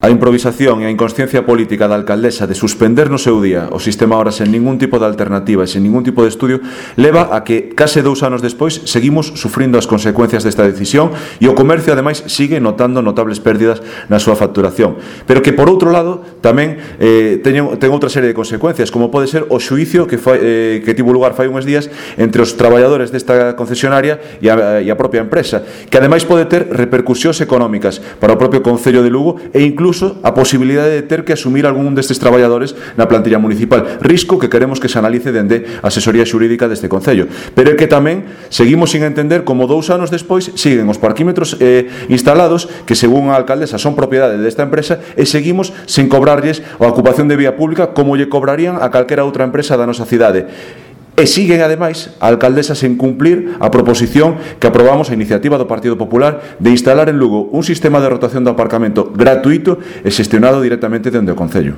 A improvisación e a inconsciencia política da alcaldesa de suspender no seu día o sistema ahora sen ningún tipo de alternativa e sen ningún tipo de estudio leva a que case 2 anos despois seguimos sufrindo as consecuencias desta decisión e o comercio ademais sigue notando notables pérdidas na súa facturación, pero que por outro lado tamén ten outra serie de consecuencias, como pode ser o xuízo que tivo lugar fai uns días entre os traballadores desta concesionaria e a propia empresa, que ademais pode ter repercusións económicas para o propio Concello de Lugo e incluso a posibilidade de ter que asumir algún destes traballadores na plantilla municipal, risco que queremos que se analice dende a asesoría xurídica deste Concello. Pero é que tamén seguimos sin entender como 2 anos despois siguen os parquímetros instalados que según a alcaldesa son propiedade desta empresa e seguimos sen cobrarlles a ocupación de vía pública como lle cobrarían a calquera outra empresa da nosa cidade. E siguen, ademais, a alcaldesa sen cumplir a proposición que aprobamos a iniciativa do Partido Popular de instalar en Lugo un sistema de rotación de aparcamento gratuito e xestionado directamente dende o Concello.